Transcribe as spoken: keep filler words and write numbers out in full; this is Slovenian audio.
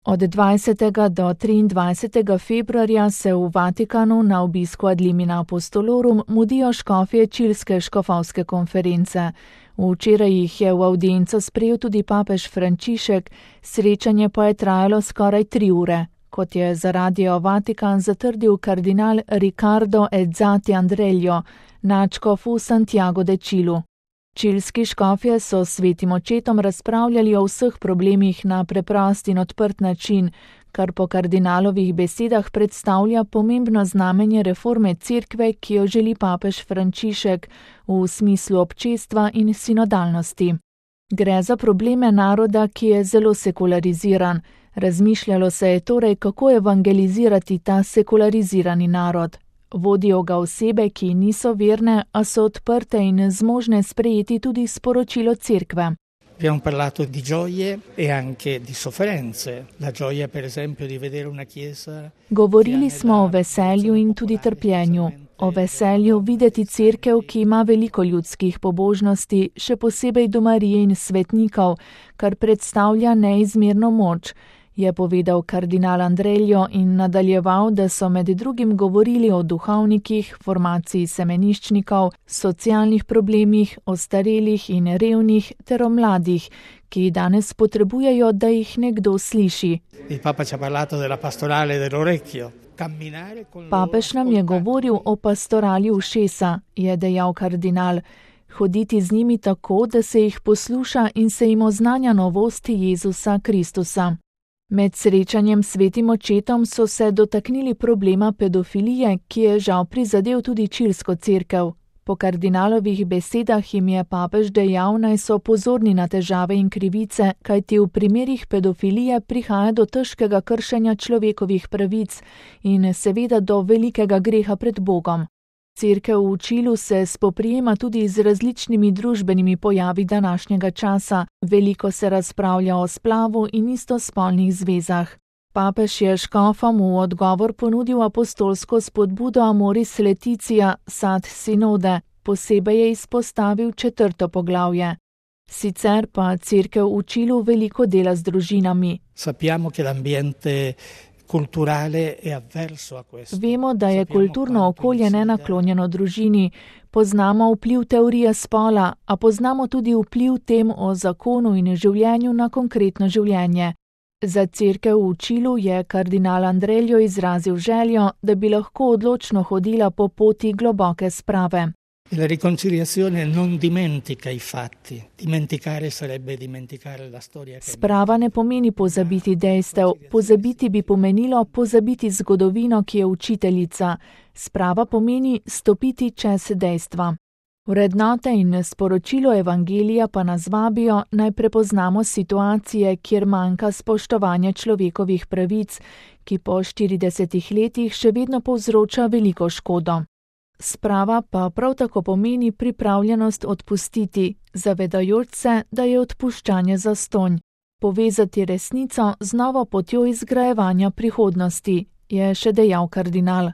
Od dvajsetega do triindvajsetega februarja se v Vatikanu na obisku Ad limina apostolorum mudijo škofje Čilske škofovske konference. Včeraj jih je v avdienco sprejel tudi papež Frančišek, srečanje pa je trajalo skoraj tri ure. Kot je za Radio Vatikan zatrdil kardinal Riccardo Ezzati Andrello, nadškof v Santiago de Čilu. Čilski škofje so s svetim očetom razpravljali o vseh problemih na preprost in odprt način, kar po kardinalovih besedah predstavlja pomembno znamenje reforme cerkve, ki jo želi papež Frančišek v smislu občestva in sinodalnosti. Gre za probleme naroda, ki je zelo sekulariziran. Razmišljalo se je torej, kako evangelizirati ta sekularizirani narod. Vodijo ga osebe, ki niso verne, a so odprte in zmožne sprejeti tudi sporočilo cerkve. Abbiamo parlato di gioie e anche di sofferenze. La gioia, per esempio, di vedere una chiesa. Govorili smo o veselju in tudi trpljenju. O veselju videti cerkev, ki ima veliko ljudskih pobožnosti, še posebej do Marije in svetnikov, kar predstavlja neizmerno moč, je povedal kardinal Andrello in nadaljeval, da so med drugim govorili o duhovnikih, formaciji semeniščnikov, socialnih problemih, ostarelih in revnih ter o mladih, ki danes potrebujejo, da jih nekdo sliši. Papež nam je govoril o pastorali ušesa, je dejal kardinal. Hoditi z njimi tako, da se jih posluša in se jim oznanja novosti Jezusa Kristusa. Med srečanjem s svetim očetom so se dotaknili problema pedofilije, ki je žal prizadel tudi čilsko cerkev. Po kardinalovih besedah jim je papež dejal, naj so pozorni na težave in krivice, kajti v primerih pedofilije prihaja do težkega kršenja človekovih pravic in seveda do velikega greha pred Bogom. Cerkev v Čilu se spoprijema tudi z različnimi družbenimi pojavi današnjega časa, veliko se razpravlja o splavu in istospolnih zvezah. Papež je škofom v odgovor ponudil apostolsko spodbudo Amoris Laetitia, sad sinode, posebej je izpostavil četrto poglavje. Sicer pa cerkev v Čilu veliko dela z družinami. Sappiamo che l'ambiente Vemo, da je kulturno okolje nenaklonjeno družini, poznamo vpliv teorije spola, a poznamo tudi vpliv tem o zakonu in življenju na konkretno življenje. Za cerkev v Čilu je kardinal Andrello izrazil željo, da bi lahko odločno hodila po poti globoke sprave. La riconciliazione non dimentica i fatti. Dimenticare sarebbe dimenticare la storia. Sprava ne pomeni pozabiti dejstev, pozabiti bi pomenilo pozabiti zgodovino, ki je učiteljica. Sprava pomeni stopiti čez dejstva. Vrednote in sporočilo evangelija pa nas vabijo, naj prepoznamo situacije, kjer manjka spoštovanje človekovih pravic, ki po štiridesetih letih še vedno povzroča veliko škodo. Sprava pa prav tako pomeni pripravljenost odpustiti, zavedajoč se, da je odpuščanje zastonj. Povezati resnico z novo potjo izgrajevanja prihodnosti, je še dejal kardinal.